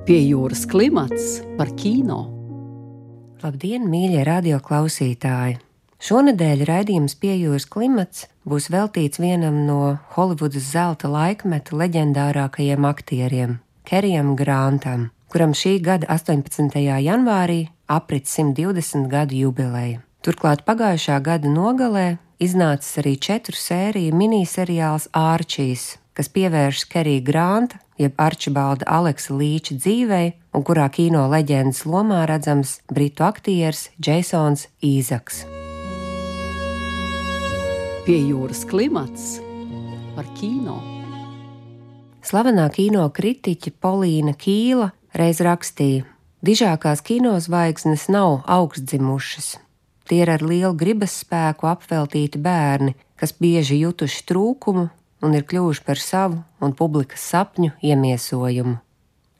Pie jūras klimats par kino. Labdien, mīļie radioklausītāji! Šonedēļ raidījums Pie jūras klimats būs veltīts vienam no Holivudas zelta laikmeta leģendārākajiem aktieriem – Kerijam Grantam, kuram šī gada 18. janvārī aprit 120 gadu jubileja. Turklāt pagājušā gada nogalē iznācis arī 4 sēriju miniseriāls Archijs, kas pievēršas Kerija Granta, jeb Arčibalda Aleksa Līča dzīvei, un kurā kino leģendas lomā redzams britu aktieris Jasons Īzaks. Pie jūras klimats par kino. Slavenā kino kritiķe Polīna Kīla reiz rakstīja: dižākās kinozvaigznes nav augstdzimušas. Tie ir ar lielu gribas spēku apveltīti bērni, kas bieži jutuši trūkumu un ir kļuvuši par savu un publikas sapņu iemiesojumu.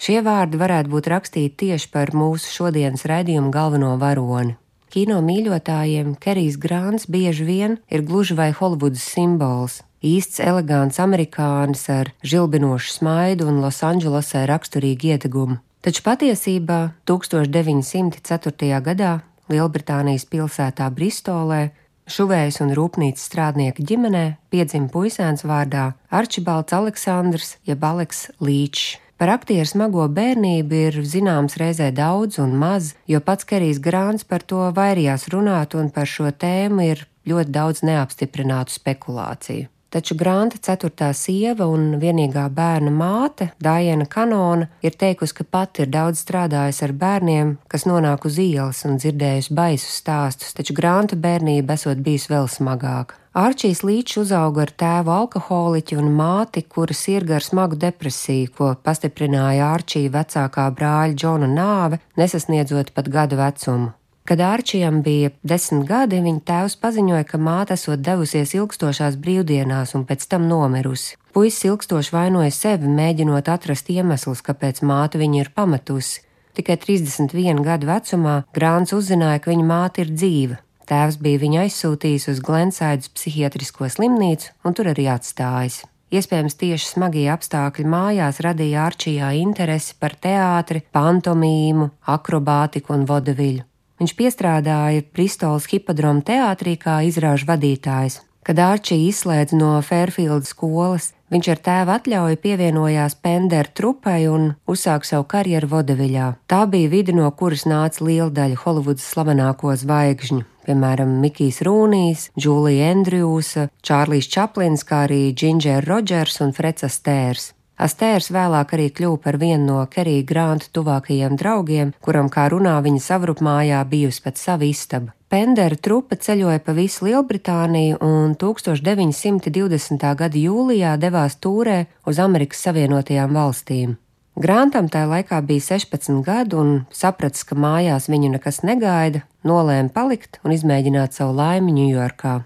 Šie vārdi varētu būt rakstīti tieši par mūsu šodienas raidījuma galveno varoni. Kino mīļotājiem Kerijs Grants bieži vien ir gluži vai Holivudas simbols, īsts elegants amerikānis ar žilbinošu smaidu un Losandželosai raksturīgu iedegumu. Taču patiesībā 1904. gadā Lielbritānijas pilsētā Bristolē šuvējas un rūpnīcas strādnieka ģimenē piedzima puisēns vārdā Arčibalds Aleksandrs jeb Aleks Līčs. Par aktieru smago bērnību ir zināms reizē daudz un maz, jo pats Kerijs Grants par to vairījās runāt un par šo tēmu ir ļoti daudz neapstiprinātu spekulāciju. Taču Granta 4. sieva un vienīgā bērna māte, Daiena Kanona, ir teikusi, ka pati ir daudz strādājusi ar bērniem, kas nonāk uz ielas un dzirdējusi baisus stāstus, taču Granta bērnība esot bijusi vēl smagāka. Arčijs Līčs uzauga ar tēvu alkoholiķi un māti, kura sirga ar smagu depresiju, ko pastiprināja Arčija vecākā brāļa Džona nāve, nesasniedzot pat gada vecumu. Kad Arčijam bija 10 gadi, viņa tēvs paziņoja, ka māte esot devusies ilgstošās brīvdienās un pēc tam nomirusi. Puisis ilgstoši vainoja sevi, mēģinot atrast iemeslus, kāpēc māte viņu ir pametusi. Tikai 31 gadu vecumā Grants uzzināja, ka viņa māte ir dzīva. Tēvs bija viņu aizsūtījis uz Glensaidas psihiatrisko slimnīcu un tur arī atstājis. Iespējams, tieši smagie apstākļi mājās radīja Arčijā interesi par teātri, pantomīmu, akrobātiku un vodeviļu. Viņš piestrādāja Bristolas hipodroma teātrī kā izrāžu vadītājs. Kad Arčija izslēdz no Fairfieldas skolas, viņš ar tēva atļauju pievienojās Pendera trupai un uzsāka savu karjeru vodeviļā. Tā bija vide, no kuras nāca liela daļa Holivudas slavenāko zvaigžņu, piemēram, Mikijs Rūnijs, Džūlija Endrjūsa, Čārlijs Čaplins, kā arī Džindžer Rodžers un Freds Astērs. Astērs vēlāk arī kļuva par vienu no Kerija Granta tuvākajiem draugiem, kuram, kā runā, viņa savrupmājā bijusi pat sava istaba. Pendera trupa ceļoja pa visu Lielbritāniju un 1920. gada jūlijā devās tūrē uz Amerikas Savienotajām valstīm. Grantam tajā laikā bija 16 gadu un sapratis, ka mājās viņu nekas negaida, nolēma palikt un izmēģināt savu laimi Ņujorkā.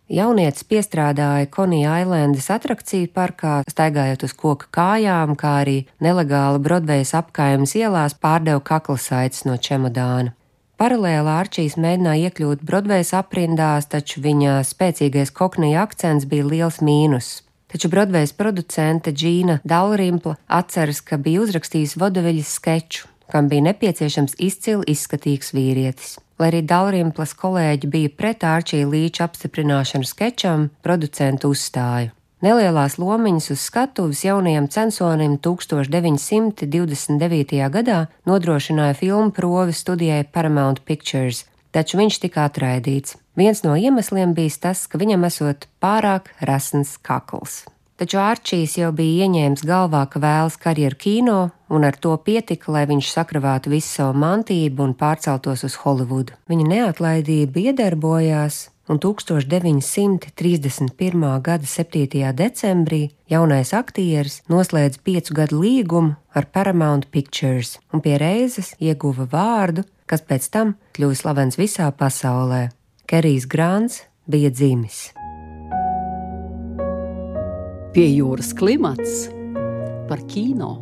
Jaunietis piestrādāja Konija Ailendas atrakciju parkā, staigājot uz koka kājām, kā arī nelegāli Brodvejas apkaimes ielās pārdeva kaklasaites no čemodāna. Paralēli Arčijs mēģināja iekļūt Brodvejas aprindās, taču viņa spēcīgais koknija akcents bija liels mīnus. Taču Brodvejas producente Džīna Dalrimpla atceras, ka bija uzrakstījis vodeviļas skeču, kam bija nepieciešams izcili izskatīgs vīrietis. Lai arī Dalrimplas kolēģi bija pret Arčija Līča apstiprināšanu skečam, producentu uzstāja. Nelielās lomiņas uz skatuves jaunajam censonim 1929. gadā nodrošināja filmu provi studijai Paramount Pictures, taču viņš tika atraidīts. Viens no iemesliem bija tas, ka viņam esot pārāk rasns kakls. Taču Arčijs jau bija ieņēmis galvā, ka vēlas karjeru kino, un ar to pietika, lai viņš sakravātu visu savu mantību un pārceltos uz Holivudu. Viņa neatlaidība iedarbojās, un 1931. gada 7. decembrī jaunais aktieris noslēdz 5 gadu līgumu ar Paramount Pictures un pie reizes ieguva vārdu, kas pēc tam kļuva slavens visā pasaulē. Kerijs Grants bija dzimis. Pie jūras klimats par kino.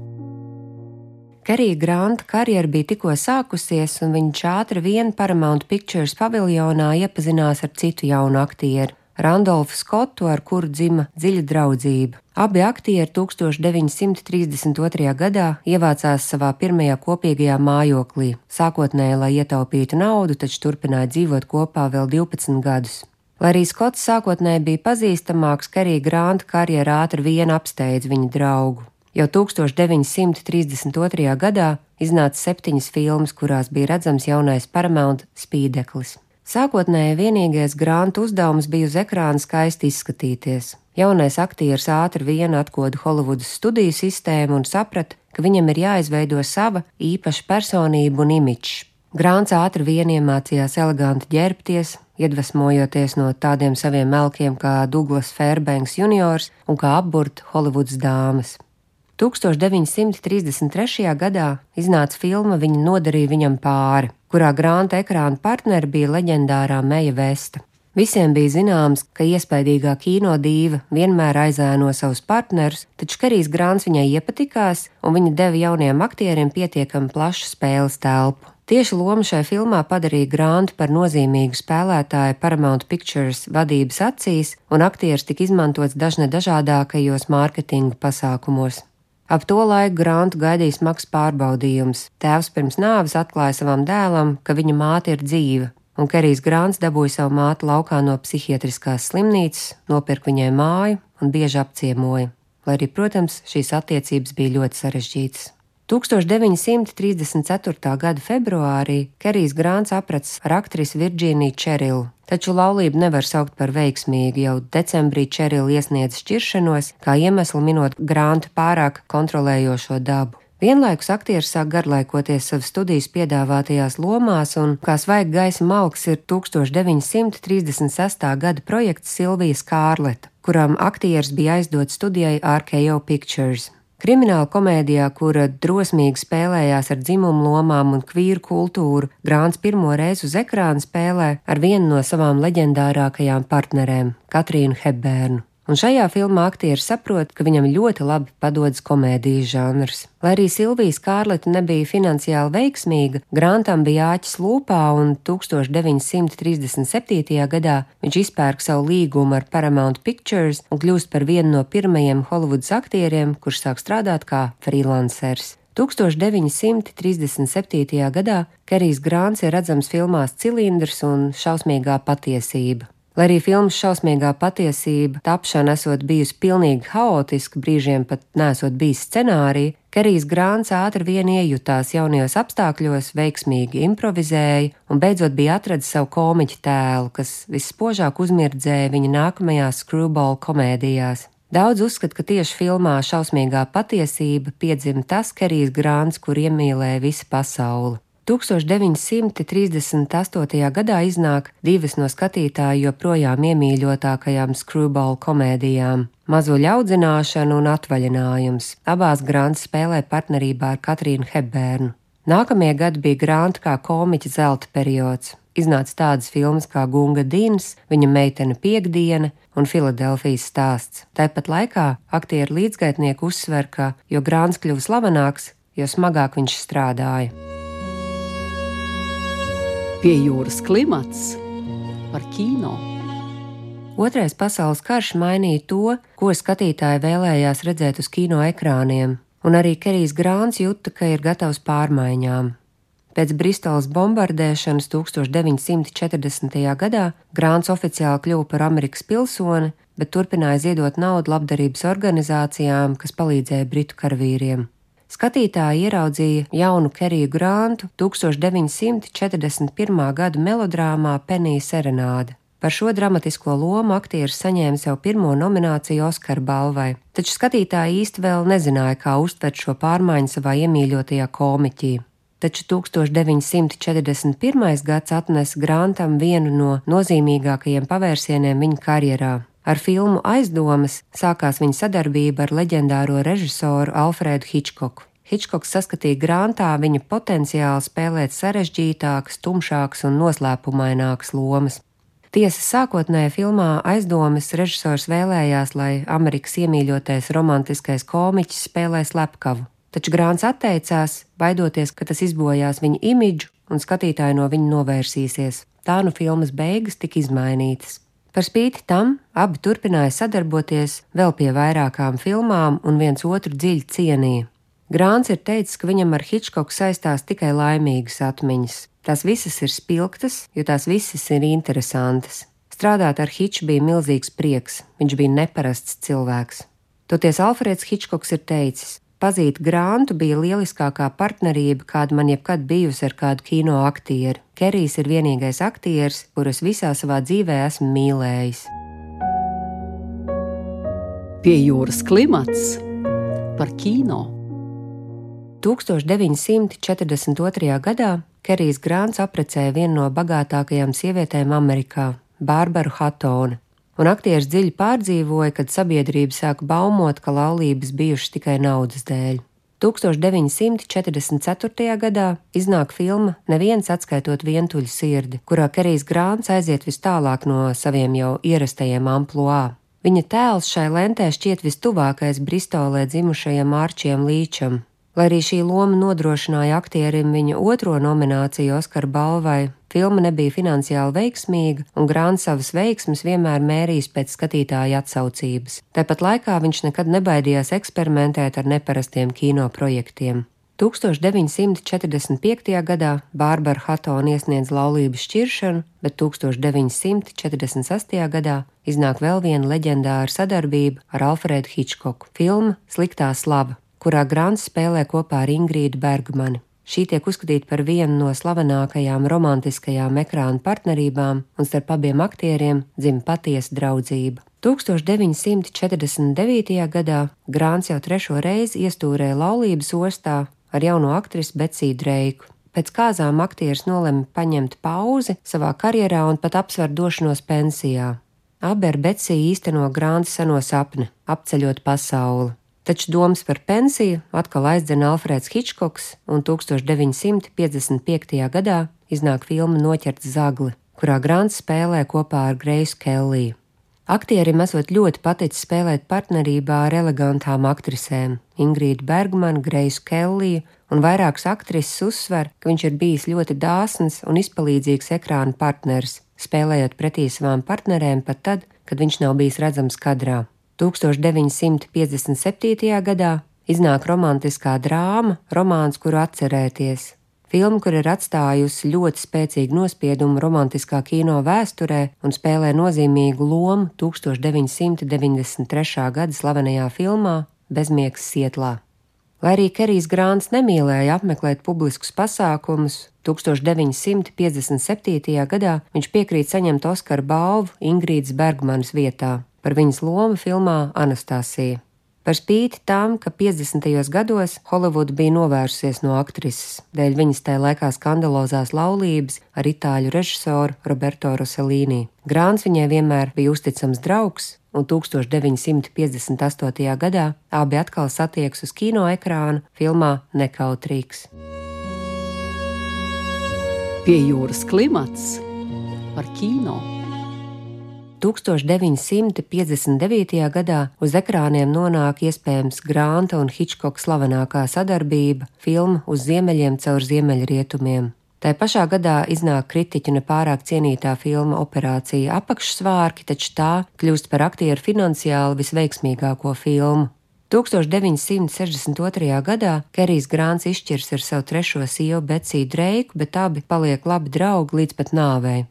Kerija Granta karjera bija tikko sākusies, un viņš ātri vien Paramount Pictures paviljonā iepazinās ar citu jaunu aktieru Randolfu Skotu, ar kuru dzima dziļa draudzība. Abi aktieri 1932. gadā ievācās savā pirmajā kopīgajā mājoklī, sākotnēji, lai ietaupītu naudu, taču turpināja dzīvot kopā vēl 12 gadus. Lai arī Skots sākotnēji bija pazīstamāks, Kerija Granta karjera ātri vien apsteidza viņa draugu. Jau 1932. gadā iznāca 7 filmas, kurās bija redzams jaunais Paramount spīdeklis. Sākotnēji vienīgais Granta uzdevums bija uz ekrāna skaisti izskatīties. Jaunais aktieris ātri vien atkoda Holivudas studiju sistēmu un saprata, ka viņam ir jāizveido sava īpaša personība un imidžs. Grants ātri vien iemācījās eleganti ģērbties, iedvesmojoties no tādiem saviem melkiem kā Douglas Fairbanks juniors un kā apburta Holivudas dāmas. 1933. gadā iznāca filma Viņa nodarīja viņam pāri, kurā Granta ekrāna partneri bija leģendārā Meja Vesta. Visiem bija zināms, ka iespaidīgā kinodīva vienmēr aizēno savus partnerus, taču Kerijs Grants viņai iepatikās, un viņa deva jauniem aktieriem pietiekami plašu spēles telpu. Tieši loma šai filmā padarīja Grantu par nozīmīgu spēlētāju Paramount Pictures vadības acīs, un aktieris tika izmantots dažādākajos mārketinga pasākumos. Ap to laiku Grantu gaidīja smags pārbaudījums. Tēvs pirms nāves atklāja savam dēlam, ka viņa māte ir dzīva, un Kerijs Grants dabūja savu māti laukā no psihiatriskās slimnīcas, nopirka viņai māju un bieži apciemoja, lai arī, protams, šīs attiecības bija ļoti sarežģītas. 1934. gada februārī Kerijs Grants aprats ar aktrisi Virģīniju Čerilu, taču laulību nevar saukt par veiksmīgu. Jau decembrī Čerila iesniedza šķiršanos, kā iemeslu minot Granta pārāk kontrolējošo dabu. Vienlaikus aktieris sāk garlaikoties savas studijas piedāvātajās lomās, un kā svaiga gaisa malks ir 1936. gada projekts Silvija Skārleta, kuram aktieris bija aizdots studijai RKO Pictures. Krimināla komēdijā, kura drosmīgi spēlējās ar dzimumu lomām un kvīru kultūru, Grants pirmo reizi uz ekrāna spēlē ar vienu no savām leģendārākajām partnerēm, Katrīnu Hepbernu. Un šajā filmā aktieris saprot, ka viņam ļoti labi padodas komēdijas žanrs. Lai arī Silvija Skārleta nebija finansiāli veiksmīga, Grantam bija āķis lūpā, un 1937. gadā viņš izpērk savu līgumu ar Paramount Pictures un kļūst par vienu no pirmajiem Holivudas aktieriem, kurš sāk strādāt kā freelancers. 1937. gadā Kerijs Grants ir redzams filmās Cilindrs un Šausmīgā patiesība. Lai arī filmas Šausmīgā patiesība tapšana esot bijusi pilnīgi haotiska, brīžiem pat nesot bijis scenārija, Kerijs Grants ātri vien iejutās jaunajos apstākļos, veiksmīgi improvizēja un beidzot bija atradis savu komiķu tēlu, kas visspožāk uzmirdzēja viņa nākamajās screwball komēdijās. Daudz uzskata, ka tieši filmā Šausmīgā patiesība piedzima tas Kerijs Grants, kur iemīlēja visa pasauli. 1938. gadā iznāk divas no skatītāju joprojām iemīļotākajām screwball komēdijām – Mazuļa audzināšana un Atvaļinājums. Abās Grants spēlē partnerībā ar Katrīnu Hepbernu. Nākamie gadi bija Granta kā komiķa zelta periods. Iznāca tādas filmas kā Gunga Dins, Viņa meitene Piektdiena un Filadelfijas stāsts. Tāpat laikā aktieru līdzgaitnieki uzsver, ka, jo Grants kļuva slavenāks, jo smagāk viņš strādāja. Pie jūras klimats par kino. Otrais pasaules karš mainīja to, ko skatītāji vēlējās redzēt uz kino ekrāniem, un arī Kerijs Grants jūta, ka ir gatavs pārmaiņām. Pēc Bristolas bombardēšanas 1940. gadā Grants oficiāli kļuva par Amerikas pilsoni, bet turpināja ziedot naudu labdarības organizācijām, kas palīdzēja britu karavīriem. Skatītāji ieraudzīja jaunu Keriju Grantu 1941. gada melodrāmā Penija serenāde. Par šo dramatisko lomu aktieris saņēma sev pirmo nomināciju Oskara balvai, taču skatītāji īsti vēl nezināja, kā uztvert šo pārmaiņu savā iemīļotajā komiķī. Taču 1941. gads atnesa Grantam vienu no nozīmīgākajiem pavērsieniem viņa karjerā. Ar filmu Aizdomas sākās viņa sadarbība ar leģendāro režisoru Alfredu Hičkoku. Hičkoks saskatīja Grantā viņa potenciālu spēlēt sarežģītākas, tumšākas un noslēpumainākas lomas. Tiesa, sākotnējā filmā Aizdomas režisors vēlējās, lai Amerikas iemīļotais romantiskais komiķis spēlē slepkavu, taču Grants atteicās, baidoties, ka tas izbojās viņa imidžu un skatītāji no viņa novērsīsies. Tā nu filmas beigas tika izmainītas. Par spīti tam abi turpināja sadarboties vēl pie vairākām filmām un viens otru dziļi cienīja. Grāns ir teicis, ka viņam ar Hitchcocku saistās tikai laimīgas atmiņas. Tās visas ir spilgtas, jo tās visas ir interesantas. Strādāt ar Hitchu bija milzīgs prieks, viņš bija neparasts cilvēks. Toties Alfreds Hitchcocks ir teicis, pazīt Grantu bija lieliskākā partnerība, kāda man jebkad bijusi ar kādu kino aktieri. Kerijs ir vienīgais aktieris, kurus visā savā dzīvē esmu mīlējis. Pie jūras klimats par kino. 1942. gadā Kerijs Grants apprecēja vienu no bagātākajām sievietēm Amerikā, Bārbaru Hattoni, un aktieris dziļi pārdzīvoja, kad sabiedrība sāka baumot, ka laulības bijušas tikai naudas dēļ. 1944. gadā iznāk filma Neviens atskaitot vientuļu sirdi, kurā Kerijs Grants aiziet vis tālāk no saviem jau ierastajiem ampluā. Viņa tēls šai lentē šķiet vistuvākais Bristolē dzimušajam Ārčiem Līčam. Lai arī šī loma nodrošināja aktierim viņa otro nomināciju Oskara balvai, filma nebija finansiāli veiksmīga, un Grants savas veiksmes vienmēr mērījis pēc skatītāja atsaucības. Tāpat laikā viņš nekad nebaidījās eksperimentēt ar neparastiem kino projektiem. 1945. gadā Bārbara Hattoni iesniedz laulības šķiršanu, bet 1946. gadā iznāk vēl viena leģendāra sadarbība ar Alfredu Hitchcocku - filma Sliktā slava, kurā Grants spēlē kopā ar Ingrīdu Bergmani. Šī tiek uzskatīta par vienu no slavenākajām romantiskajām ekrāna partnerībām, un starp abiem aktieriem dzimta patiesa draudzība. 1949. gadā Grants jau trešo reizi iestūrēja laulības ostā ar jauno aktrisi Betsiju Dreiku. Pēc kāzām aktieris nolēma paņemt pauzi savā karjerā un pat apsver došanos pensijā. Abi ar Betsiju īsteno Granta seno sapni – apceļot pasauli. Taču domas par pensiju atkal aizdzen Alfreds Hitchcocks, un 1955. gadā iznāk filma Noķerts zagli, kurā Grants spēlē kopā ar Greisu Kelliju. Aktierim esot ļoti paticis spēlēt partnerībā ar elegantām aktrisēm – Ingrīdu Bergmanu, Greisu Kelliju, un vairākas aktrises uzsver, ka viņš ir bijis ļoti dāsns un izpalīdzīgs ekrāna partneris, spēlējot pretī savām partnerēm pat tad, kad viņš nav bijis redzams kadrā. 1957. gadā iznāk romantiskā drāma Romāns, kuru atcerēties. Filma, kur ir atstājusi ļoti spēcīgu nospiedumu romantiskā kino vēsturē un spēlē nozīmīgu lomu 1993. gada slavenajā filmā Bezmiegs Sietlā. Lai arī Kerijs Grants nemīlēja apmeklēt publiskus pasākumus, 1957. gadā viņš piekrīt saņemt Oskara balvu Ingrīdas Bergmanas vietā par viņas lomu filmā Anastasija. Par spīti tam, ka 50. gados Holivuda bija novērsusies no aktrises, dēļ viņas tajā laikā skandalozās laulības ar itāļu režisoru Roberto Rossellini. Grants viņai vienmēr bija uzticams draugs, un 1958. gadā abi atkal satiekas uz kino ekrāna filmā Nekautrīgs. Pie jūras klimats par kino. 1959. gadā uz ekrāniem nonāk iespējams Granta un Hitchcocka slavenākā sadarbība – filma Uz ziemeļiem caur ziemeļrietumiem. Tai pašā gadā iznāk kritiķu nepārāk cienītā filma Operācija apakšsvārki, taču tā kļūst par aktieru finansiāli visveiksmīgāko filmu. 1962. gadā Kerijs Grants izšķirs ar savu trešo sievu Betsiju Dreiku, bet abi paliek labi draugi līdz pat nāvei.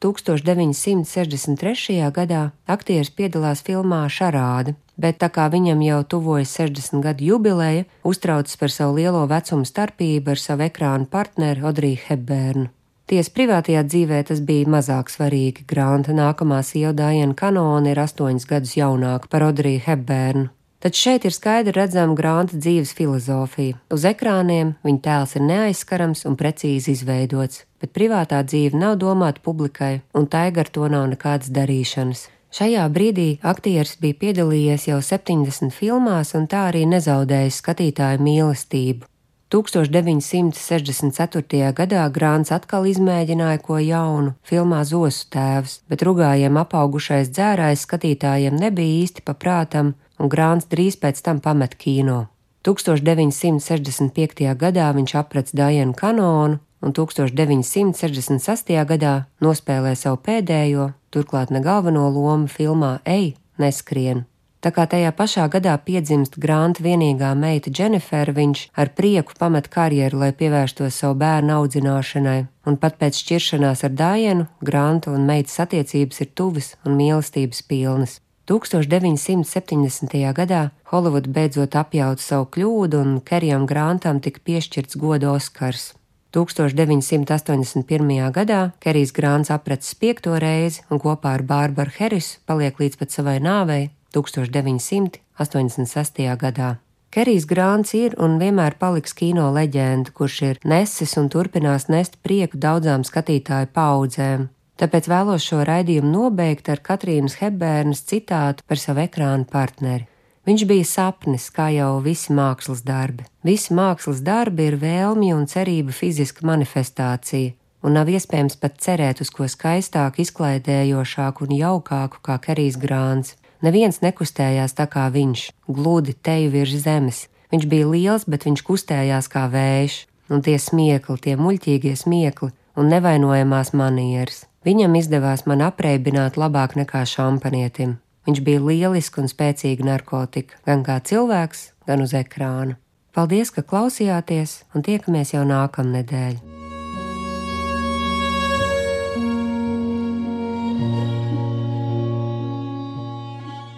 1963. gadā aktieris piedalās filmā Šarāde, bet tā kā viņam jau tuvojas 60 gadu jubileja, uztraucas par savu lielo vecumu starpību ar savu ekrānu partneri Audrey Hepburnu. Tiesa privātajā dzīvē tas bija mazāk svarīgi. Granta nākamā sieva Diana Canone ir 8 gadus jaunāka par Audrey Hepburnu. Taču šeit ir skaidri redzama Granta dzīves filozofija. Uz ekrāniem viņa tēls ir neaizskarams un precīzi izveidots, bet privātā dzīve nav domāta publikai, un tai gar to nav nekādas darīšanas. Šajā brīdī aktieris bija piedalījies jau 70 filmās un tā arī nezaudējis skatītāju mīlestību. 1964. gadā Grants atkal izmēģināja ko jaunu filmā Zosu tēvs, bet rugājiem apaugušais dzērājs skatītājiem nebija īsti paprātam, un Grants drīz pēc tam pamet kino. 1965. gadā viņš aprec Dianu Canonu un 1966. gadā nospēlē savu pēdējo, turklāt ne galveno lomu filmā Ej, neskrien. Tā kā tajā pašā gadā piedzimst Granta vienīgā meita Dženifera, viņš ar prieku pamet karjeru, lai pievērstos savu bērnu audzināšanai, un pat pēc šķiršanās ar Dianu, Granta un meitas attiecības ir tuvas un mīlestības pilnas. 1970. gadā Holivuda beidzot apjauta savu kļūdu, un Kerijam Grantam tika piešķirts goda Oskars. 1981. gadā Kerijs Grants aprecis 5. reizi un kopā ar Bārbaru Herisu paliek līdz pat savai nāvei 1986. gadā. Kerijs Grants ir un vienmēr paliks kino leģenda, kurš ir nesis un turpinās nest prieku daudzām skatītāju paudzēm. Tāpēc vēlos šo raidījumu nobeigt ar Katrīnas Hepbērnas citātu par savu ekrāna partneri. Viņš bija sapnis, kā jau visi mākslas darbi. Visi mākslas darbi ir vēlmju un cerību fiziska manifestācija, un nav iespējams pat cerēt uz ko skaistāku, izklaidējošāku un jaukāku kā Kerijs Grants. Neviens nekustējās tā kā viņš, gludi teju virs zemes. Viņš bija liels, bet viņš kustējās kā vējš, un tie smiekli, tie muļķīgie smiekli un nevainojamās manieres. Viņam izdevās man apreibināt labāk nekā šampanietim. Viņš bija lieliski un spēcīga narkotika, gan kā cilvēks, gan uz ekrāna. Paldies, ka klausījāties, un tiekamies jau nākamnedēļ.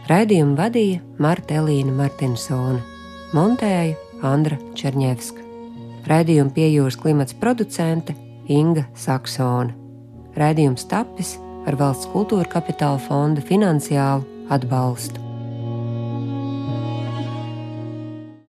Raidījumu vadīja Marta Elīna Martinsone, montēja Andra Čerņevska. Raidījumu Pie jūras klimats producente Inga Saksone. Raidījums tapis ar Valsts kultūra kapitāla fonda finansiālu atbalstu.